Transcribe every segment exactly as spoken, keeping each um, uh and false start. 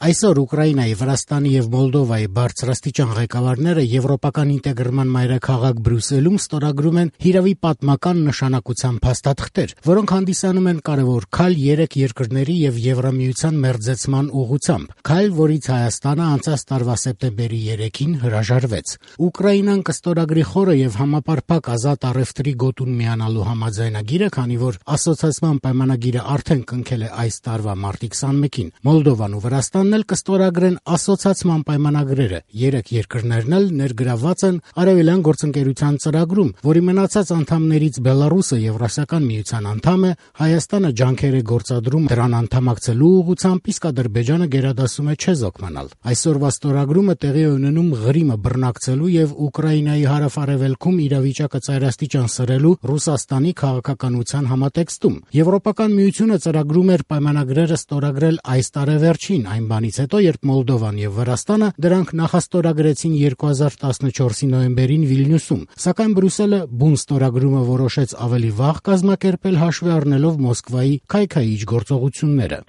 Այսօր Ուկրաինայի, Վրաստանի և Մոլդովայի բարձրաստիճան ղեկավարները եվրոպական ինտեգրման մայրաքաղաք Բրյուսելում ստորագրում են հիրավի պատմական նշանակության փաստաթղթեր, որոնք հանդիսանում են կարևոր քայլ երեք երկրների և Եվրամիության մերձեցման ուղղությամբ, քայլ, որից Հայաստանը անցած տարվա սեպտեմբերի երեքին հրաժարվեց։ Ուկրաինան կստորագրի խորը և համապարփակ ազատ առևտրի գոտուն միանալու համաձայնագիրը, քանի որ ասոցիացիան պայմանագիրը արդեն կնքել է այս տարվա մարտի քսանմեկին։ Մոլդովան ու Վրաստանն էլ կստորագրեն ասոցիացիան պայմանագրերը։ Երեք երկրներն էլ ներգրավված են Արևելյան գործընկերության ծրագրում, որի մնացած անդամներից Բելարուսը Եվրասիական միության անդամ է, Հայաստանը ջանքեր է գործադրում դրան անդամակցելու ուղղությամբ, իսկ Ադրբեջանը գերադասում է չեզոք մնալ։ Այսօրվա ստորագրումը տեղի է ունենում Ղրիմը բռնակցելու և Ուկրաինայի հարավ-արևելքում իրավիճակը ծայրաստիճան սրելու Ռուսաստանի քաղաքականության համատեքստում։ Եվրոպական միությունը ծրագրում էր պայմանագրերը ստորագրել այս տարեվերջին, այն բանից հետո, երբ Մոլդովան և Վրաստանը դրանք նախաստորագրեցին երկու հազար տասնչորսի նոյեմբերին Վիլնյուսում, սակայն Բրյուսելը բուն ստորագրումը որոշեց ավելի վաղ կազմակերպել, հաշվի առնելով Մոսկվայի քայքայիչ գործողությունները։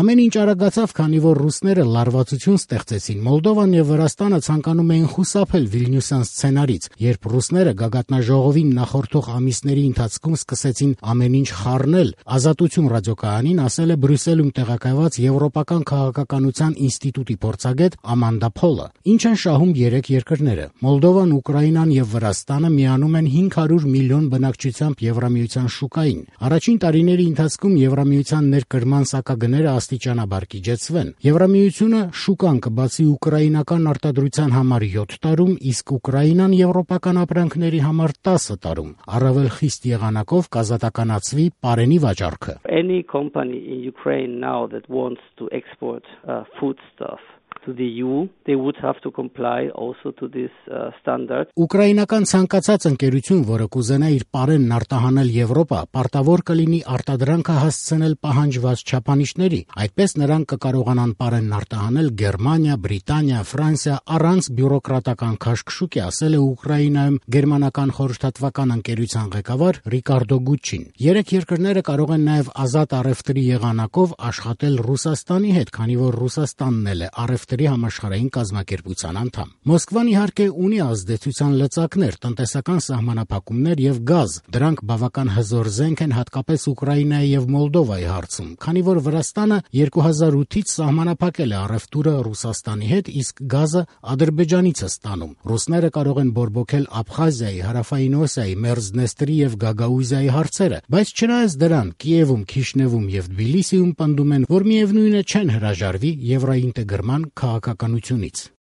Ամեն ինչ արագացավ, քանի որ ռուսները լարվածություն ստեղծեցին։ Մոլդովան և Վրաստանը ցանկանում էին խուսափել Վիլնյուսյան սցենարից, երբ ռուսները գագաթնաժողովին նախորդող ամիսների ընթացքում սկսեցին ամեն ինչ խառնել, Ազատություն ռադիոկայանին ասել է Բրյուսելում տեղակայված Եվրոպական քաղաքականության ինստիտուտի փորձագետ Ամանդա Փոլը։ Ինչ են շահում երեք երկրները։ Մոլդովան, Ուկրաինան և Վրաստանը միանում են հինգ հարյուր միլիոն բնակչությամբ Եվրամիության շուկային։ Առաջին տարիների ընթացքում Եվրամիության ներկրման սակագները աստիճանաբար կիջեցվեն։ Եվրամիությունը շուկան կբացի ուկրաինական արտադրության համար յոթ տարում, իսկ Ուկրաինան եվրոպական ապրանքների համար տասը տարում։ Առավել խիստ եղանակով կազատականացվի պարենի վաճառքը։ Any company in Ukraine now that wants to export uh, foodstuff to the E U, they would have to comply also to this uh, standard. Ուկրաինական ցանկացած ընկերություն, որը կուզենա իր պարենն արտահանել Եվրոպա, պարտավոր կլինի արտադրանքը հասցնել պահանջված չափանիշների։ Այդպես նրանք կկարողանան պարենն արտահանել Գերմանիա, Բրիտանիա, Ֆրանսիա առանց բյուրոկրատական քաշքշուկի, ասել է Ուկրաինայում գերմանական խորհրդատվական ընկերության ղեկավար Ռիկարդո Գուչին։ Երեք երկրները կարող են նաև ազատ առևտրի եղանակով աշխատել Ռուսաստանի հետ, քանի որ Ռուսաստանն էլ է առևտրի համաշխարհային կազմակերպության անդամ։ Մոսկվան իհարկե ունի ազդեցության լծակներ, տնտեսական սահմանափակումներ և գազ։ Դրանք բավական հզոր զենք են հատկապես Ուկրաինայի և Մոլդովայի հարցում, քանի որ Վրաստանը երկու հազար ութից սահմանափակել է առևտուրը Ռուսաստանի հետ, իսկ գազը Ադրբեջանից է ստանում։ Ռուսները կարող են բորբոքել Աբխազիայի, Հարավային Օսիայի, Մերձդնեստրի և Գագաուզիայի հարցերը, բայց չնայած դրան Կիևում, Քիշնևում և Թբիլիսիում պնդում են, որ միևնույն է չեն հրաժարվի եվրոինտեգրման քաղաքականությունից։